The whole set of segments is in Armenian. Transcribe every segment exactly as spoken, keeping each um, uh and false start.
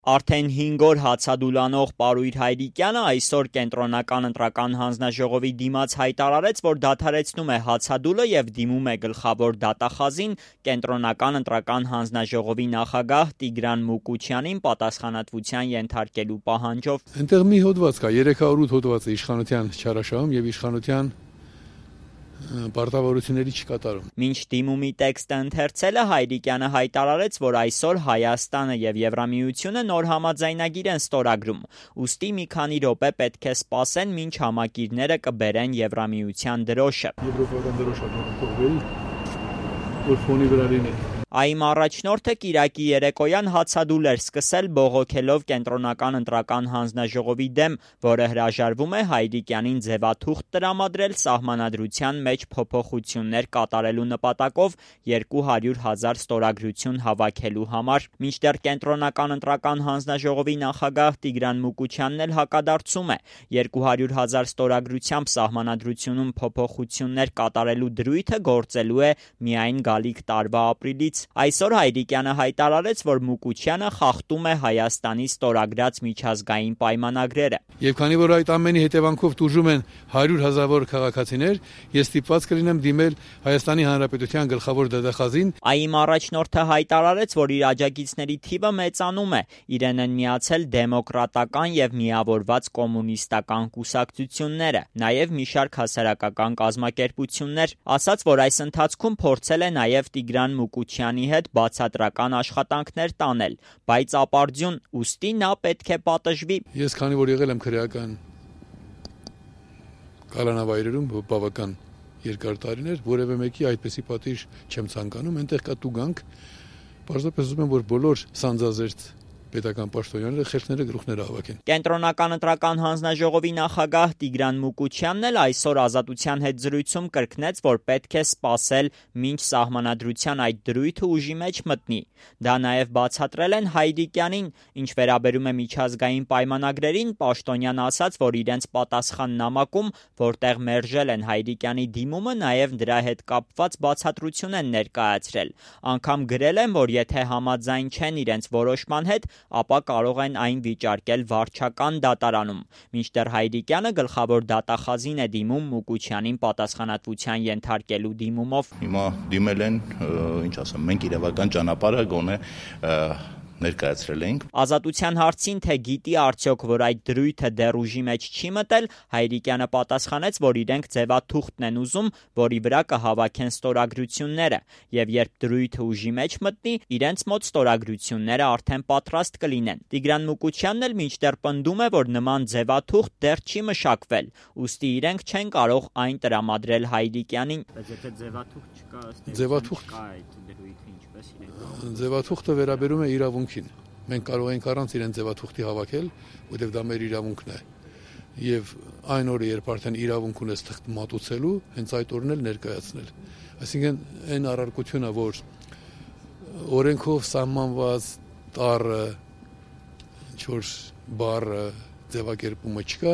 Արդեն հինգ օր հացադուլ անող Պարույր Հայրիկյանը այսօր Կենտրոնական ընտրական հանձնաժողովի դիմաց հայտարարեց, որ դադարեցնում է հացադուլը եւ դիմում է գլխավոր դատախազին Կենտրոնական ընտրական հանձնաժողովի նախագահ Տիգրան Մուկուչյանին պատասխանատվության ենթարկելու պահանջով։ Այնտեղ մի հոդված կա, երեք հարյուր ութ հոդված է իշխանության չարաշահում եւ իշխանության պարտավորությունների չկատարում։ Մինչ դիմումի տեքստը ընթերցելը Հայրիկյանը հայտարարեց, որ այսօր Հայաստանը եւ Եվրամիությունը նոր համաձայնագիր են ստորագրում, ուստի մի քանի րոպե պետք է սպասեն, մինչ համակիրները կբերեն Եվրամիության դրոշը։ Եվրոպական դրոշը կողմերի, որ ֆոնի վրա լինի։ ԱԻՄ առաջնորդը Կիրակի երեկոյան հացադուլ էր սկսել բողոքելով Կենտրոնական ընտրական հանձնաժողովի դեմ, որը հրաժարվում է Հայրիկյանին ձևաթուղթ տրամադրել սահմանադրության մեջ փոփոխություններ կատարելու նպատակով երկու հարյուր հազար ստորագրություն հավաքելու համար։ Մինչդեռ Կենտրոնական ընտրական հանձնաժողովի նախագահ Տիգրան Մուկուչյանն էլ հակադարձում է, երկու հարյուր հազար ստորագրությամբ սահմանադրությունում փոփոխություններ կատարելու դրույթը գործելու է միայն գալիք տարվա ապրիլից։ Այսօր Հայրիկյանը հայտարարեց, որ Մուկուչյանը խախտում է Հայաստանի ստորագրած միջազգային պայմանագրերը։ Եվ քանի որ այդ ամենի հետևանքով տուժում են հարյուր հազարավոր քաղաքացիներ, ես ստիպված կլինեմ դիմել Հայաստանի Հանրապետության գլխավոր դատախազին։ ԱԻՄ առաջնորդը հայտարարեց, որ իր աջակիցների թիվը մեծանում է, իրեն են միացել դեմոկրատական եւ միավորված կոմունիստական կուսակցությունները, նաեւ մի շարք հասարակական կազմակերպություններ, ասաց, որ այս ընթացքում փորձել է նաեւ Տիգրան Մուկուչյանի հետ բացատրական աշխատանքներ տանել, բայց ապարդյուն, ուստի նա պետք է պատժվի։ Ես քանի որ եղել եմ քրեական կալանավայրերում բավական երկար տարիներ, որևէ մեկի այդպեսի պատիժ չեմ ցանկանում, այնտեղ կա տուգանք, պարզապես ուզում եմ, որ բոլոր սանձազերծ պետական պաշտոնյաները խելքները գլուխները հավաքեն։ Կենտրոնական ընտրական հանձնաժողովի նախագահ Տիգրան Մուկուչյանն էլ այսօր Ազատության հետ զրույցում կրկնեց, որ պետք է սպասել, մինչ սահմանադրության այդ դրույթը ուժի մեջ մտնի։ Դա նաև բացատրել են Հայրիկյանին, ինչ վերաբերում է միջազգային պայմանագրերին, պաշտոնյան ասաց, որ իրենց պատասխան նամակում, որտեղ մերժել են Հայրիկյանի դիմումը, նաև դրա հետ կապված բացատրություն են ներկայացրել։ Անգամ գրել են, որ եթե համաձայն չեն իրենց որոշման հետ, ապա կարող են այն վիճարկել վարչական դատարանում։ Մինչդեռ Հայրիկյանը գլխավոր դատախազին է դիմում Մուկուչյանին պատասխանատվության ենթարկելու դիմումով։ Հիմա դիմել են, ինչ ասեմ, մենք իրավական ճանապարհը գոնե ներկայացրել ենք։ Ազատության հարցին, թե գիտի արդյոք, որ այդ դրույթը դեռ ուժի մեջ չի մտել, Հայրիկյանը պատասխանեց, որ իրենք ձևաթուղթն են ուզում, որի վրա կհավաքեն ստորագրությունները, եւ երբ դրույթը ուժի մեջ մտնի, իրենց մոտ ստորագրությունները արդեն պատրաստ կլինեն։ Տիգրան Մուկուչյանն էլ մինչդեռ պնդում է, որ նման ձևաթուղթ դեռ չի մշակվել, ուստի իրենք չեն կարող այն տրամադրել Հայրիկյանին։ Բայց եթե ձևաթուղթ չկա, ձևաթուղթ կա այդ դրույթը ինչպես իրենք։ Ձևաթուղթը վերաբերում է իրավունքին։ Մենք կարող ենք առանց իրեն ձևաթուղթի հավաքել, որտեղ դա մեր իրավունքն է։ Եվ այն օրը, երբ արդեն իրավունք ունես թղթ մատուցելու, հենց այդ օրն էլ ներկայացնել։ Այսինքն այն առարկությունը, որ օրենքով սահմանված տառը, ինչ-որ բառը, ձևակերպումը չկա,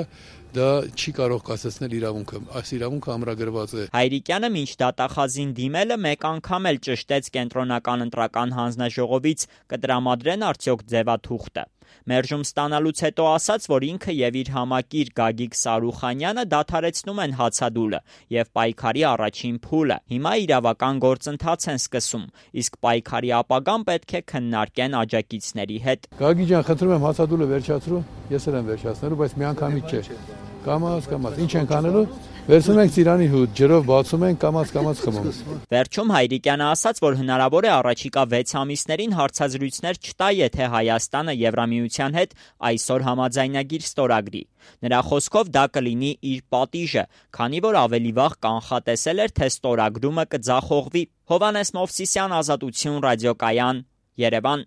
դա չի կարող կասեցնել իրավունքը։ Այս իրավունքը ամրագրված է։ Հայրիկյանը մինչ դատախազին դիմելը մեկ անգամ էլ ճշտեց Կենտրոնական ընտրական հանձնաժողովից, կտրամադրեն արդյոք ձևաթուղթը։ Մերժում ստանալուց հետո ասաց, որ ինքը եւ իր համակիր Գագիկ Սարուխանյանը դադարեցնում են հացադուլը եւ պայքարի առաջին փուլը։ Հիմա իրավական գործընթաց են սկսում, իսկ պայքարի ապագան պետք է քննարկեն աջակիցների հետ։ Գագիկ ջան, խնդրում եմ հացադուլը վերջացրու, ես էլ եմ վերջացնելու, բայց միանգամից չէ։ Կամաց, կամաց, ինչ ենք անելու։ Վերցնում ենք ծիրանի հոտ, ջրով բացում ենք, կամաց, կամաց խմում։ Վերջում Հայրիկյանը ասաց, որ հնարավոր է առաջիկա վեց ամիսներին հարցազրույցներ չտա, եթե Հայաստանը Եվրամիության հետ այսօր համաձայնագիր ստորագրի։ Նրա խոսքով դա կլինի իր պատիժը, քանի որ ավելի վաղ կանխատեսել էր, թե ստորագրումը կձախողվի։ Հովհաննես Մովսիսյան, Ազատություն, ռադիոկայան, Երևան։